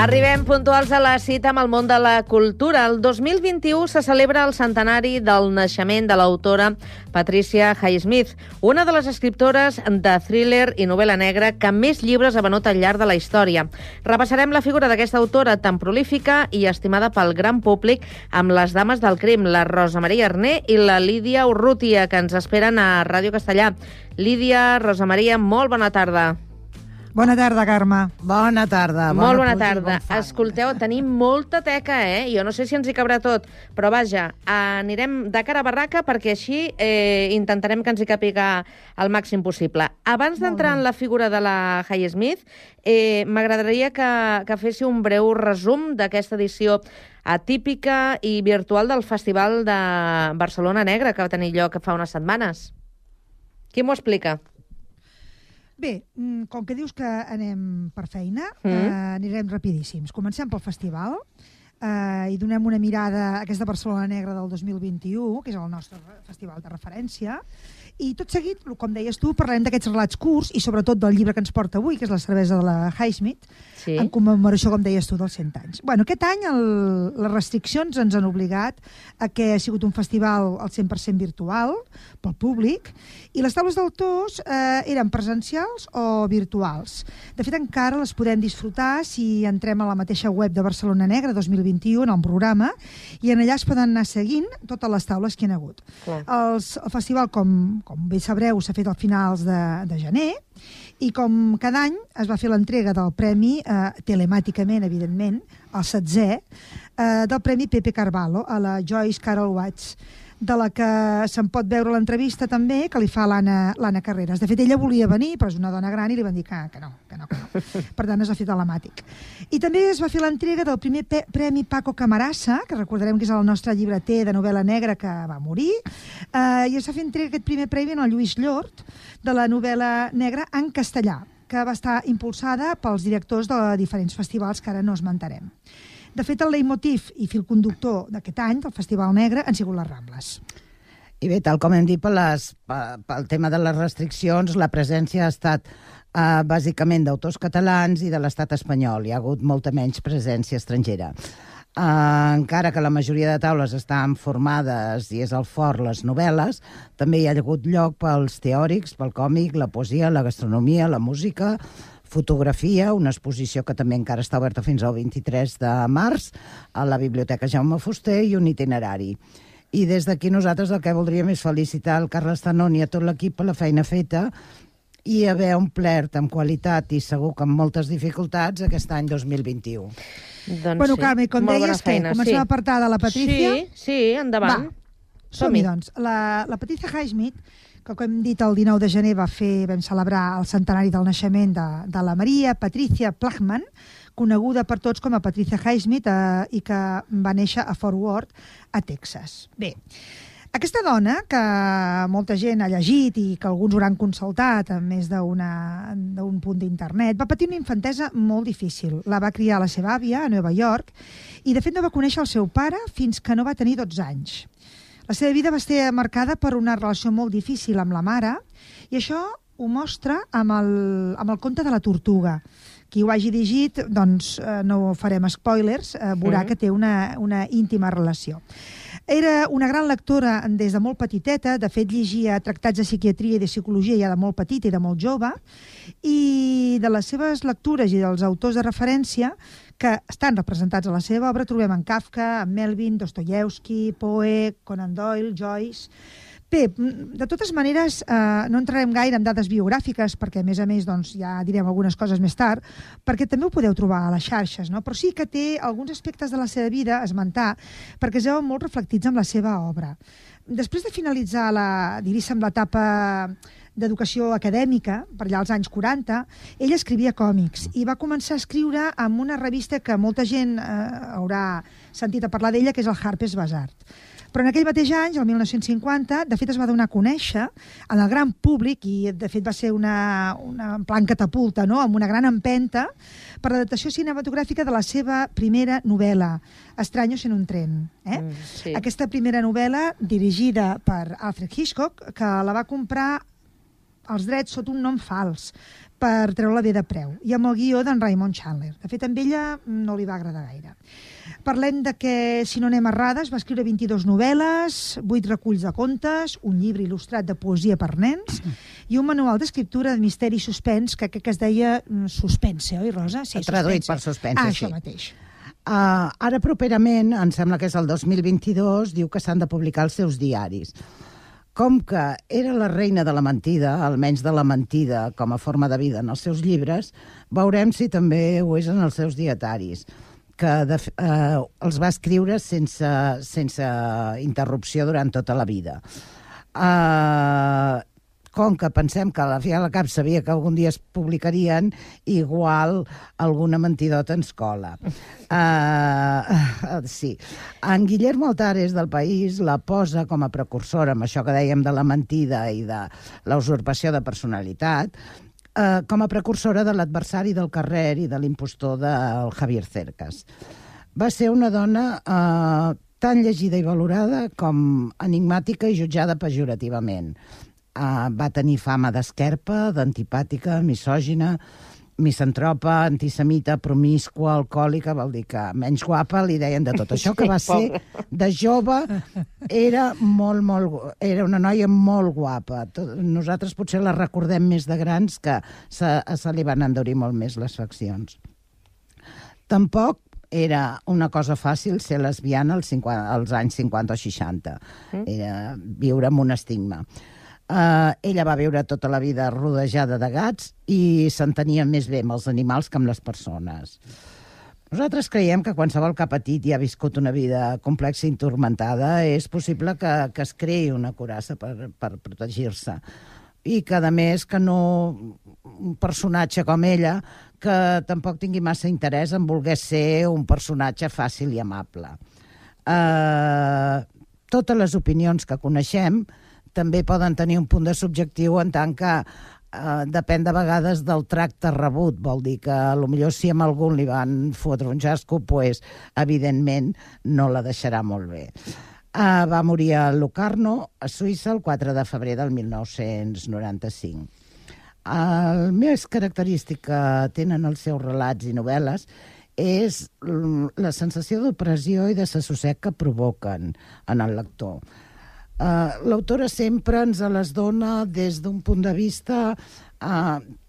Arribem puntuals a la cita amb el món de la cultura. El 2021 se celebra el centenari del naixement de l'autora Patricia Highsmith, una de les escriptores de thriller i novel·la negra que més llibres ha venut al llarg de la història. Repassarem la figura d'aquesta autora tan prolífica i estimada pel gran públic amb les dames del crim, la Rosa Maria Arné i la Lídia Urrutia, que ens esperen a Ràdio Castellà. Lídia, Rosa Maria, molt bona tarda. Bona tarda, Carme. Bona tarda. Molt bona tarda. Escolteu, tenim molta teca, Jo no sé si ens hi cabrà tot, però vaja, anirem de cara a barraca perquè així intentarem que ens hi càpiga el màxim possible. Abans d'entrar en la figura de la Highsmith, m'agradaria que fessi un breu resum d'aquesta edició atípica i virtual del Festival de Barcelona Negra, que va tenir lloc fa unes setmanes. Qui m'ho explica? Bé, com que dius que anem per feina, anirem rapidíssims. Comencem pel festival i donem una mirada a aquesta Barcelona Negra del 2021, que és el nostre festival de referència, i tot seguit, com deies tu, parlarem d'aquests relats curts i sobretot del llibre que ens porta avui, que és La cervesa de la Highsmith, en commemoració, com deies tu, dels 100 anys. Bueno, aquest any les restriccions ens han obligat a que ha sigut un festival al 100% virtual pel públic i les taules d'autors eren presencials o virtuals. De fet, encara les podem disfrutar si entrem a la mateixa web de Barcelona Negra 2021, en el programa, i en allà es poden anar seguint totes les taules que hi ha hagut. El festival, com bé sabreu, s'ha fet a finals de gener i com cada any es va fer l'entrega del premi, telemàticament, evidentment, el 7è, del Premi Pepe Carvalho a la Joyce Carol Watts, de la que se'n pot veure l'entrevista també, que li fa l'Anna Carreras. De fet, ella volia venir, però és una dona gran i li van dir que no. Per tant, es va fer telemàtic. I també es va fer l'entrega del primer Premi Paco Camarasa, que recordarem que és el nostre llibreter de novel·la negra que va morir, i es va fer entrega aquest primer premi en el Lluís Llort, de la novel·la negra en castellà, que va estar impulsada pels directors de diferents festivals que ara no esmentarem. De fet, el leitmotiv i fil conductor d'aquest any, del Festival Negre, han sigut les Rambles. I bé, tal com hem dit, pel tema de les restriccions, la presència ha estat bàsicament d'autors catalans i de l'estat espanyol. Hi ha hagut molta menys presència estrangera. Encara que la majoria de taules estan formades i és el fort les novel·les, també hi ha hagut lloc pels teòrics, pel còmic, la poesia, la gastronomia, la música, fotografia, una exposició que també encara està oberta fins al 23 de març a la Biblioteca Jaume Fuster i un itinerari. I des d'aquí nosaltres el que voldríem és felicitar el Carles Tanon i a tot l'equip per la feina feta i haver omplert amb qualitat i segur que amb moltes dificultats aquest any 2021. Bueno, Carme, com deies, comencem a apartar de la Patrícia? Sí, endavant. Som-hi, doncs. La Patricia Highsmith, que com hem dit el 19 de gener vam celebrar el centenari del naixement de la Maria Patricia Plagman, coneguda per tots com a Patricia Highsmith i que va néixer a Fort Worth, a Texas. Bé, aquesta dona, que molta gent ha llegit i que alguns hauran consultat a més d'un punt d'internet, va patir una infantesa molt difícil. La va criar la seva àvia a Nova York i de fet no va conèixer el seu pare fins que no va tenir 12 anys. La seva vida va estar marcada per una relació molt difícil amb la mare i això ho mostra amb el conte de la tortuga. Qui ho hagi llegit, doncs no farem spoilers, veurà que té una íntima relació. Era una gran lectora des de molt petiteta, de fet llegia tractats de psiquiatria i de psicologia ja de molt petita i de molt jove, i de les seves lectures i dels autors de referència que estan representats a la seva obra trobem en Kafka, en Melvin, Dostoievski, Poe, Conan Doyle, Joyce. Bé, de totes maneres, no entrarem gaire en dades biogràfiques, perquè a més doncs, ja direm algunes coses més tard, perquè també ho podeu trobar a les xarxes, no? Però sí que té alguns aspectes de la seva vida a esmentar, perquè es veuen molt reflectits en la seva obra. Després de finalitzar l'etapa d'educació acadèmica, per allà als anys 40, ella escrivia còmics i va començar a escriure en una revista que molta gent haurà sentit a parlar d'ella, que és el Harper's Bazaar. Però en aquell mateix any, el 1950, de fet es va donar a conèixer en el gran públic, i de fet va ser una plan catapulta, no?, amb una gran empenta, per l'adaptació cinematogràfica de la seva primera novel·la, Estraños en un tren. Sí. Aquesta primera novel·la, dirigida per Alfred Hitchcock, que la va comprar els drets sota un nom fals per treure-la bé de preu, i amb el guió d'en Raymond Chandler. De fet, amb ella no li va agradar gaire. Parlem de que, si no anem errades, va escriure 22 novel·les, 8 reculls de contes, un llibre il·lustrat de poesia per nens i un manual d'escriptura de misteri i suspens, que crec que es deia Suspense, oi, Rosa? Sí, traduït per Suspense, sí. Això mateix. Ara properament, em sembla que és el 2022, diu que s'han de publicar els seus diaris. Com que era la reina de la mentida, almenys de la mentida com a forma de vida en els seus llibres, veurem si també ho és en els seus dietaris, que els va escriure sense interrupció durant tota la vida. Com que pensem que a la fi a la cap sabia que algun dia es publicarien, igual alguna mentidota ens cola. Sí. En Guillermo Altares del País la posa com a precursora, amb això que dèiem de la mentida i de la usurpació de personalitat, com a precursora de l'adversari del carrer i de l'impostor del Javier Cercas. Va ser una dona tan llegida i valorada com enigmàtica i jutjada pejorativament. Va tenir fama d'esquerpa, d'antipàtica, misògina, misantropa, antisemita, promiscua, alcohòlica, vol dir que menys guapa li deien de tot. Això que va ser de jove era era una noia molt guapa. Nosaltres potser la recordem més de grans, que se li van endurir molt més les faccions. Tampoc era una cosa fàcil ser lesbiana als anys 50 o 60. Era viure amb un estigma. Ella va viure tota la vida rodejada de gats i s'entenia més bé amb els animals que amb les persones. Nosaltres creiem que qualsevol que ha patit i ha viscut una vida complexa i turmentada és possible que es creï una coraça per protegir-se. I que, a més, que no un personatge com ella que tampoc tingui massa interès en voler ser un personatge fàcil i amable. Totes les opinions que coneixem també poden tenir un punt de subjectiu en tant que depèn de vegades del tracte rebut. Vol dir que potser si a algun li van fotre un jasco, evidentment no la deixarà molt bé. Va morir a Locarno, a Suïssa, el 4 de febrer del 1995. El més característic que tenen els seus relats i novel·les és la sensació d'opressió i de desassossec que provoquen en el lector. L'autora sempre ens les dona des d'un punt de vista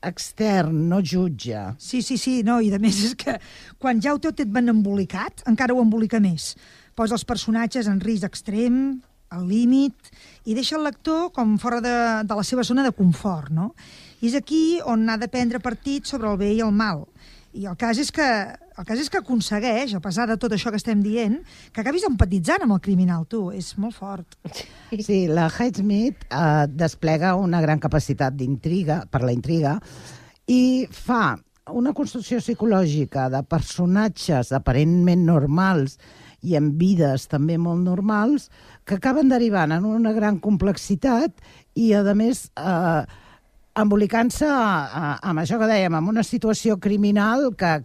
extern, no jutja. Sí, no, i a més és que quan ja ho té tot ben embolicat, encara ho embolica més. Posa els personatges en risc extrem, al límit, i deixa el lector com fora de la seva zona de confort, no? I és aquí on ha de prendre partit sobre el bé i el mal. I el cas és que aconsegueix, a pesar de tot això que estem dient, que acabis empatitzant amb el criminal, tu. És molt fort. Sí, la Highsmith desplega una gran capacitat d'intriga, per la intriga, i fa una construcció psicològica de personatges aparentment normals i amb vides també molt normals que acaben derivant en una gran complexitat i, a més, embolicant-se amb això que dèiem, amb una situació criminal que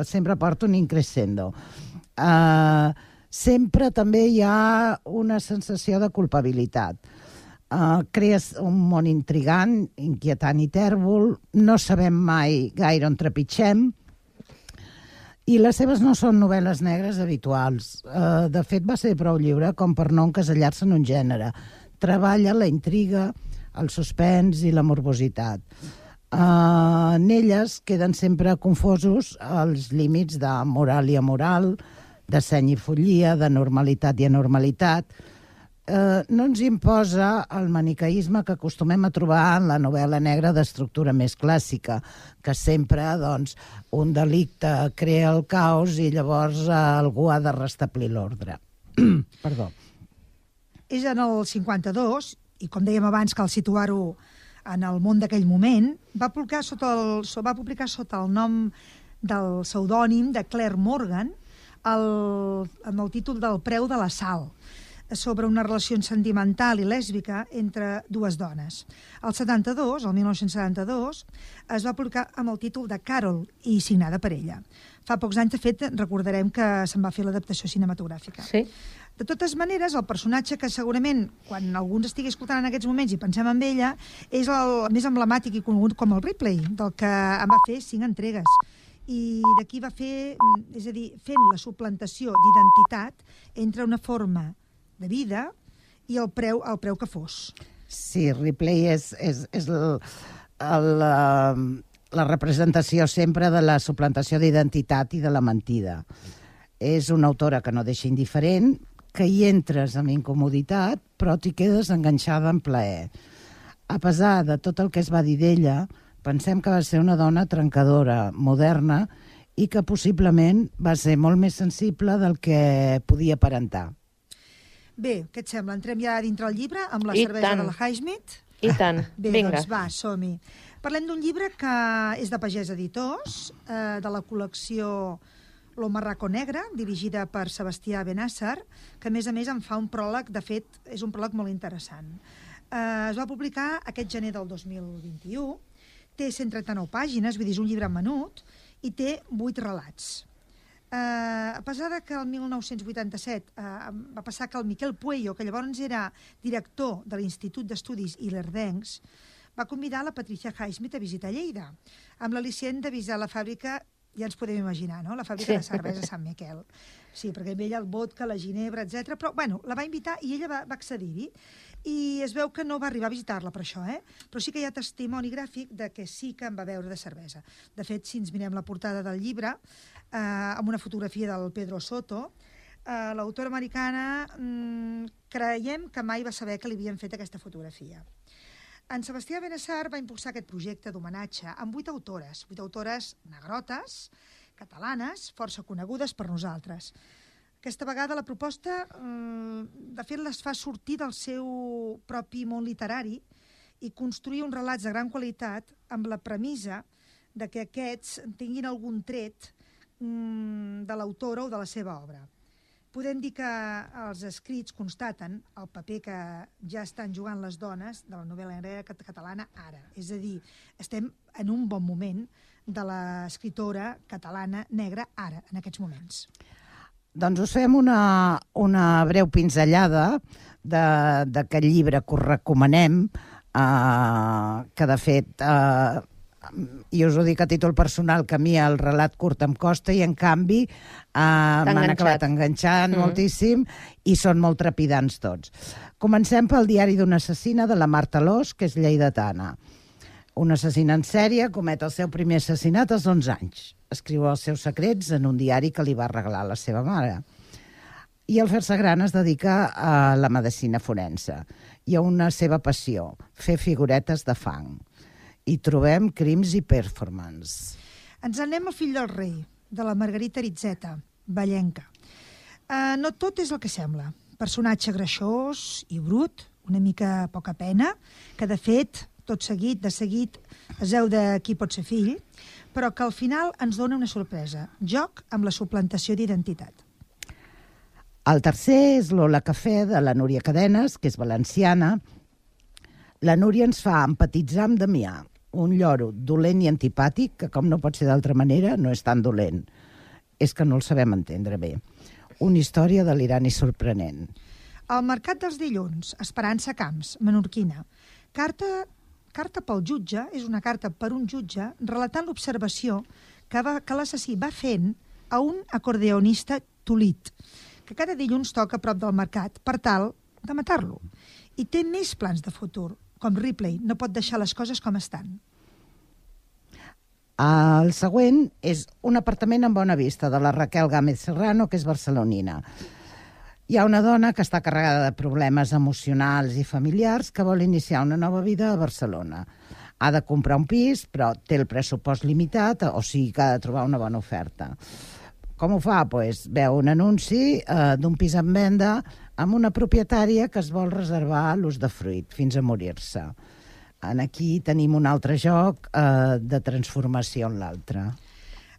sempre porta un increscendo. Sempre també hi ha una sensació de culpabilitat. Crees un món intrigant, inquietant i tèrbol, no sabem mai gaire on trepitgem, i les seves no són novel·les negres habituals. De fet, va ser prou lliure com per no encasellar-se en un gènere. Treballa la intriga, el suspens i la morbositat. En elles queden sempre confosos els límits de moral i amoral, de seny i follia, de normalitat i anormalitat. No ens imposa el maniqueisme que acostumem a trobar en la novel·la negra d'estructura més clàssica, que sempre un delicte crea el caos i llavors algú ha de restablir l'ordre. Perdó. És en el 52, i com dèiem abans, cal situar-ho en el món d'aquell moment, va publicar sota el nom del pseudònim de Claire Morgan amb el títol del Preu de la Sal, sobre una relació sentimental i lèsbica entre dues dones. El 1972, es va publicar amb el títol de Carol i signada per ella. Fa pocs anys, de fet, recordarem que se'n va fer l'adaptació cinematogràfica. Sí. De totes maneres, el personatge que segurament, quan algú ens estigui escoltant en aquests moments i pensem en ella, és el més emblemàtic i conegut com el Ripley, del que en va fer 5 entregues. I d'aquí va fer, és a dir, fent la suplantació d'identitat entre una forma de vida i el preu que fos. Sí, Ripley és la representació sempre de la suplantació d'identitat i de la mentida. És una autora que no deixa indiferent, que hi entres amb incomoditat, però t'hi quedes enganxada en plaer. A pesar de tot el que es va dir d'ella, pensem que va ser una dona trencadora, moderna, i que possiblement va ser molt més sensible del que podia aparentar. Bé, què et sembla? Entrem ja dintre el llibre amb la cervesa de la Highsmith? I tant. Bé, Vinga. doncs va, som-hi. Parlem d'un llibre que és de Pagès Editors, de la col·lecció Lo Marraco Negre, dirigida per Sebastià Benàsser, que a més en fa un pròleg, de fet, és un pròleg molt interessant. Es va publicar aquest gener del 2021, té 139 pàgines, vull dir, és un llibre menut, i té 8 relats. A pesar de que el 1987 va passar que el Miquel Pueyo, que llavors era director de l'Institut d'Estudis Ilerdencs, va convidar la Patricia Highsmith a visitar Lleida, amb l'al·licient de visitar la fàbrica, ja ens podem imaginar, no?, la fàbrica de cervesa Sant Miquel. Sí, perquè amb ella el vodka, la ginebra, etc. Però, bueno, la va invitar i ella va accedir-hi. I es veu que no va arribar a visitar-la per això, Però sí que hi ha testimoni gràfic de que sí que en va beure de cervesa. De fet, si ens mirem la portada del llibre, amb una fotografia del Pedro Soto, l'autora americana creiem que mai va saber que li havien fet aquesta fotografia. En Sebastià Benàsser va impulsar aquest projecte d'homenatge amb 8 autores negrotes, catalanes, força conegudes per nosaltres. Aquesta vegada la proposta, de fet, les fa sortir del seu propi món literari i construir uns relats de gran qualitat amb la premissa de que aquests tinguin algun tret de l'autora o de la seva obra. Podem dir que els escrits constaten el paper que ja estan jugant les dones de la novel·la negra catalana ara. És a dir, estem en un bon moment de l'escriptora catalana negra ara, en aquests moments. Doncs us fem una breu pinzellada d'aquest llibre que us recomanem, que de fet... i us ho dic a títol personal, que a mi el relat curt em costa i en canvi m'han acabat enganxant moltíssim i són molt trepidants tots. Comencem pel diari d'una assassina de la Marta Alòs, que és lleidatana. Una assassina en sèrie comet el seu primer assassinat als 11 anys. Escriu els seus secrets en un diari que li va regalar la seva mare. I al fer-se gran es dedica a la medicina forense i a una seva passió, fer figuretes de fang. Hi trobem crims i performance. Ens anem al Fill del rei, de la Margarita Aritzeta, vallenca. No tot és el que sembla. Personatge greixós i brut, una mica poca pena, que de fet, de seguit, es veu de qui pot ser fill, però que al final ens dona una sorpresa. Joc amb la suplantació d'identitat. El tercer és l'Ola Cafè, de la Núria Cadenes, que és valenciana. La Núria ens fa empatitzar amb Damià, un lloro dolent i antipàtic, que com no pot ser d'altra manera, no és tan dolent. És que no el sabem entendre bé. Una història delirant i sorprenent. El mercat dels dilluns, Esperança Camps, menorquina. Carta pel jutge és una carta per un jutge relatant l'observació que l'assassí va fent a un acordeonista tolit, que cada dilluns toca a prop del mercat per tal de matar-lo. I té més plans de futur. Com Ripley, no pot deixar les coses com estan. El següent és un apartament amb bona vista, de la Raquel Gámez Serrano, que és barcelonina. Hi ha una dona que està carregada de problemes emocionals i familiars que vol iniciar una nova vida a Barcelona. Ha de comprar un pis, però té el pressupost limitat, o sigui que ha de trobar una bona oferta. Com ho fa? Pues veu un anunci d'un pis en venda amb una propietària que es vol reservar l'usdefruit fins a morir-se. Aquí tenim un altre joc de transformació en l'altre.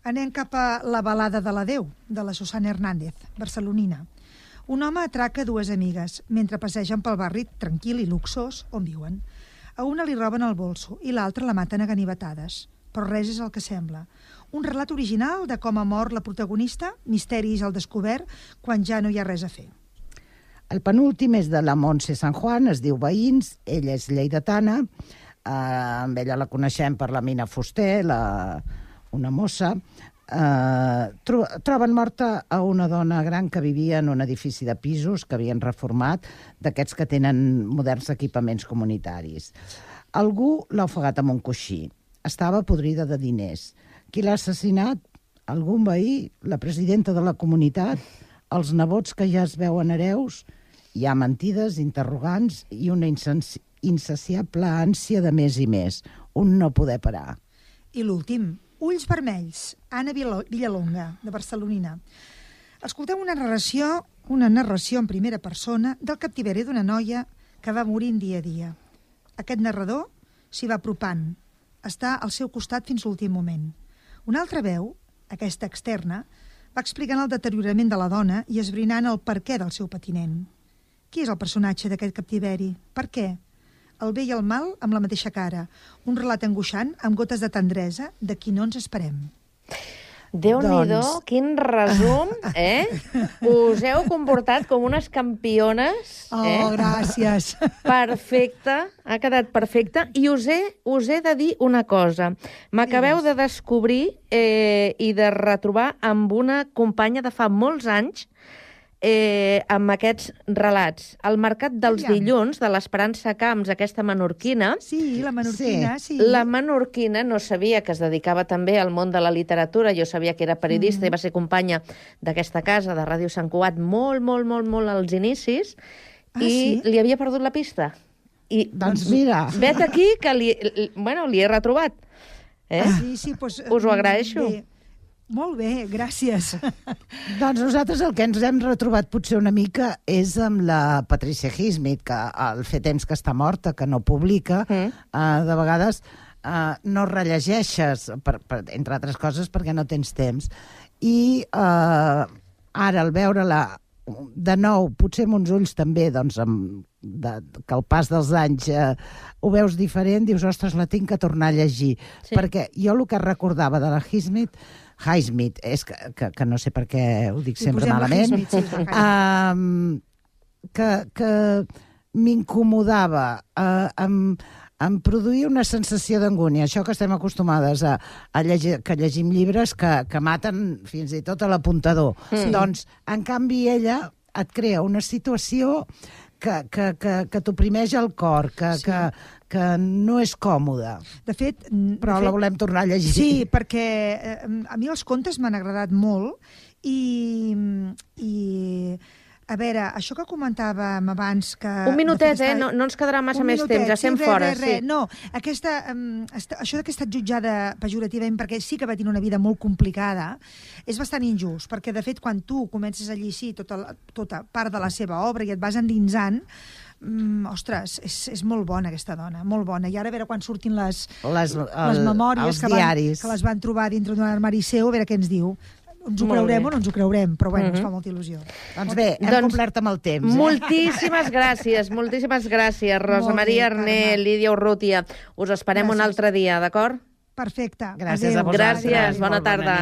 Anem cap a La balada de l'adeu, de la Susana Hernández, barcelonina. Un home atraca 2 amigues mentre passegen pel barri tranquil i luxós on viuen. A una li roben el bolso i l'altra la maten a ganivetades. Però res és el que sembla. Un relat original de com ha mort la protagonista, misteris al descobert, quan ja no hi ha res a fer. El penúltim és de la Montse San Juan, es diu Veïns, ella és lleidatana, amb ella la coneixem per la Mina Fuster, una mossa. Troben morta a una dona gran que vivia en un edifici de pisos que havien reformat, d'aquests que tenen moderns equipaments comunitaris. Algú l'ha ofegat amb un coixí. Estava podrida de diners. Qui l'ha assassinat? Algun veí? La presidenta de la comunitat? Els nebots que ja es veuen hereus? Hi ha mentides, interrogants i una insaciable ànsia de més i més. Un no poder parar. I l'últim, Ulls vermells, Anna Villalonga, de Barcelonina. Escolteu una narració en primera persona del captiveri d'una noia que va morint dia a dia. Aquest narrador s'hi va apropant. Està al seu costat fins l'últim moment. Una altra veu, aquesta externa, va explicant el deteriorament de la dona i esbrinant el perquè del seu patiment. Qui és el personatge d'aquest captiveri? Per què? El bé i el mal amb la mateixa cara. Un relat angoixant amb gotes de tendresa de qui no ens esperem. Déu-n'hi-do, quin resum, eh? Us heu comportat com unes campiones. Oh, gràcies. Perfecte, ha quedat perfecte. I us he de dir una cosa. M'acabeu de descobrir i de retrobar amb una companya de fa molts anys amb aquests relats. El Mercat dels Dilluns, de l'Esperança Camps, aquesta menorquina... Sí, la menorquina, sí. La menorquina no sabia que es dedicava també al món de la literatura. Jo sabia que era periodista i va ser companya d'aquesta casa, de Ràdio Sant Cugat, molt als inicis, i li havia perdut la pista. I, doncs mira... Vet aquí que li he retrobat. Sí, doncs... Us ho agraeixo. Bé. Molt bé, gràcies. Doncs nosaltres el que ens hem retrobat potser una mica és amb la Patricia Highsmith, que al fer temps que està morta, que no publica, de vegades no rellegeixes, entre altres coses, perquè no tens temps. I ara, al veure-la de nou, potser amb uns ulls també, doncs, que al pas dels anys ho veus diferent, dius, ostres, la tinc que tornar a llegir. Sí. Perquè jo el que recordava de la Highsmith, és que no sé per què ho dic sempre malament, que m'incomodava, em produïa una sensació d'angúnia. Això que estem acostumades a llegir, que llegim llibres que maten fins i tot a l'apuntador. Doncs, en canvi, ella et crea una situació que t'oprimeix el cor, que no és còmode. De fet... Però la volem tornar a llegir. Sí, perquè a mi els contes m'han agradat molt i a veure, això que comentàvem abans... Un minutet, no ens quedarà massa més temps, ja estem fora. No, això que he estat jutjada pejorativament, perquè sí que va tenir una vida molt complicada, és bastant injust, perquè de fet quan tu comences a llegir tota part de la seva obra i et vas endinsant, ostres, és molt bona aquesta dona, molt bona. I ara a veure quan surtin les memòries que les van trobar dintre d'un armari seu, a veure què ens diu. Ens ho creurem o no ens ho creurem, però bueno, ens fa molta il·lusió. Doncs bé, hem complert amb el temps. Moltíssimes gràcies, Rosa Maria Arné, Lídia Urrutia. Us esperem un altre dia, d'acord? Perfecte. Gràcies a vosaltres. Gràcies, bona tarda.